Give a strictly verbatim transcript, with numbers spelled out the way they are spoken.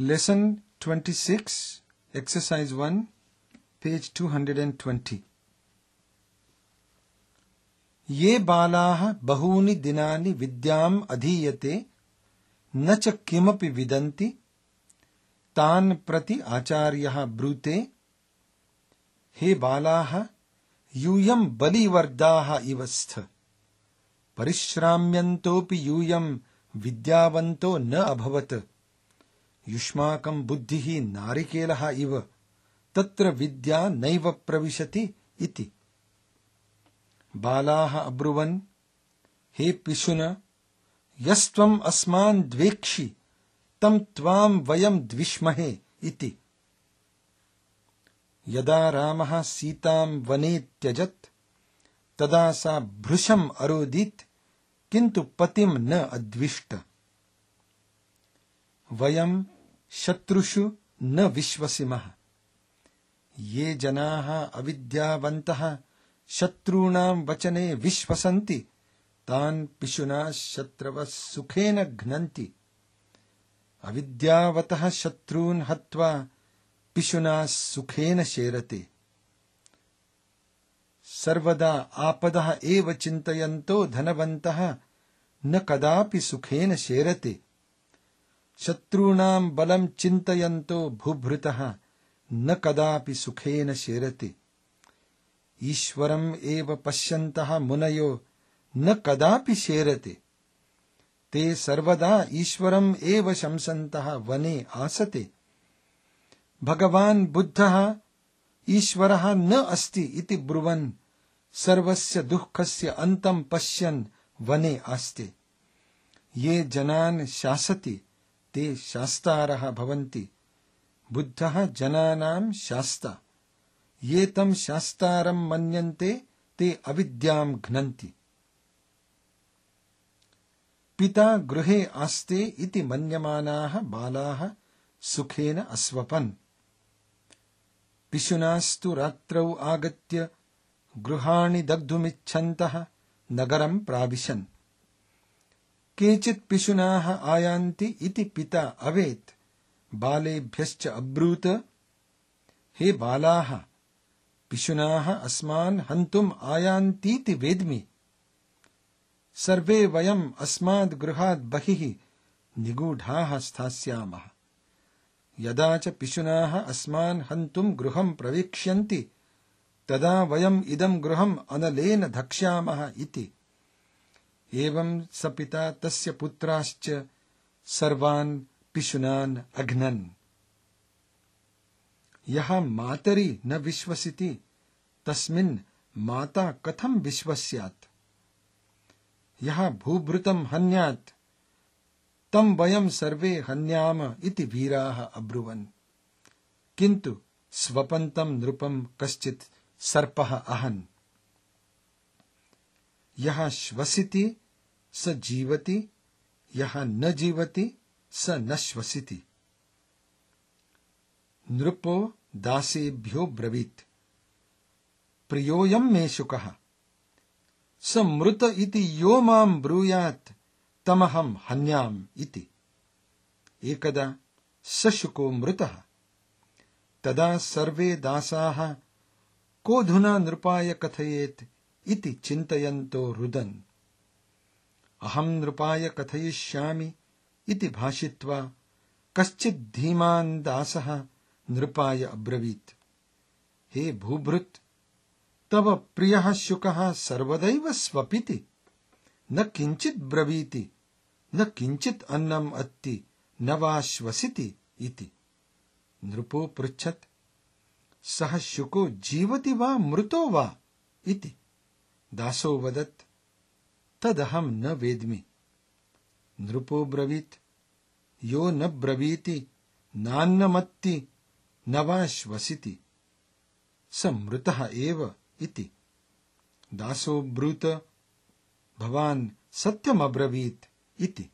Lesson twenty-six, Exercise one, page two hundred twenty. ये बालाः बहूनि दिनानि विद्याम् अधीयते न च किमपि विदन्ति तान् प्रति आचार्यः ब्रूते हे बालाः यूयं बलिवर्दाः इव स्थ परिश्राम्यन्तोऽपि यूयं विद्यावन्तो न अभवत् युष्माकं बुद्धिः नारिकेलः इव तत्र विद्या नैव प्रविशति इति। बालाः अब्रुवन् हे पिशुन यस्त्वम् अस्मान् द्वेक्षि तं त्वां वयं द्विष्महे इति। यदा रामः सीतां वने त्यजत् तदा सा भृशम् अरोदित् किन्तु पतिं न अद्विष्ट। वयं शत्रुषु न विश्वसिमः। ये जनाः अविद्यावन्तः शत्रूणां वचने विश्वसन्ति तान् पिशुना शत्रवः सुखेन घ्नन्ति। अविद्यावतः शत्रून् हत्वा पिशुना सुखेन शेरते। सर्वदा आपदः एव चिन्तयन्तो धनवन्तः न कदापि सुखेन शेरते। शत्रूणां बलं चिन्तयन्तो भूभृतः न कदापि सुखेन शेरते। ईश्वरम् एव पश्यन्तः मुनयो न कदापि शेरते। ते सर्वदा ईश्वरम् एव शंसन्तः वने आसते। भगवान् बुद्धः ईश्वरः न अस्ति इति ब्रुवन् सर्वस्य दुःखस्य अन्तं पश्यन् वने आस्ते। ये जनान् शासति ते शास्तारः भवन्ति। बुद्धः जनानां शास्ता। ये तं शास्तारं मन्यन्ते ते अविद्यां घ्नन्ति। पिता गृहे आस्ते इति मन्यमानाः बालाः सुखेन अस्वपन्। पिशुनास्तु रात्रौ आगत्य गृहाणि दग्धुमिच्छन्तः नगरं प्राविशन्। केचित् पिशुनाः आयान्ति इति पिता अवेत् बालेभ्यश्च अब्रूत हे बालाः पिशुनाः अस्मान् हन्तुम् आयान्तीति वेद्मि। सर्वे वयम् अस्माद् गृहात् बहिः निगूढाः स्थास्यामः। यदा च पिशुनाः अस्मान् हन्तुम् गृहं प्रवेक्ष्यन्ति तदा वयम् इदं गृहम् अनलेन धक्ष्यामः इति। एवं स पिता तस्य पुत्राश्च सर्वान् पिशुनान् अघ्नन्। यः मातरि न विश्वसिति तस्मिन् माता कथं विश्वस्यात्। यः भूभृतं हन्यात् तं वयं सर्वे हन्याम इति वीराः अब्रुवन्। किन्तु स्वपन्तं नृपं कश्चित् सर्पः अहन्। यः श्वसिति स जीवति यः न जीवति स न श्वसिति। नृपो दासेभ्यो ब्रवीत् प्रियोऽयं मे शुकः स मृत इति यो मां ब्रूयात् तमहं हन्याम् इति। एकदा स शुको मृतः। तदा सर्वे दासाः कोऽधुना नृपाय कथयेत् इति चिन्तयन्तो रुदन्। अहं नृपाय कथयिष्यामि इति भाषित्वा कश्चित् धीमान् दासः नृपाय अब्रवीत् हे भूभृत् तव प्रियः शुकः सर्वदैव स्वपिति न किञ्चित् ब्रवीति न किञ्चित् अन्नम् अत्ति न वा श्वसिति इति। नृपो पृच्छत् सः शुको जीवति वा मृतो वा इति। दासो वदत् तदहं न वेद्मि। नृपो ब्रवीत् यो न ब्रवीति नान्नमत्ति न वा श्वसिति स मृतः एव इति। दासो ब्रूत भवान् सत्यमब्रवीत् इति।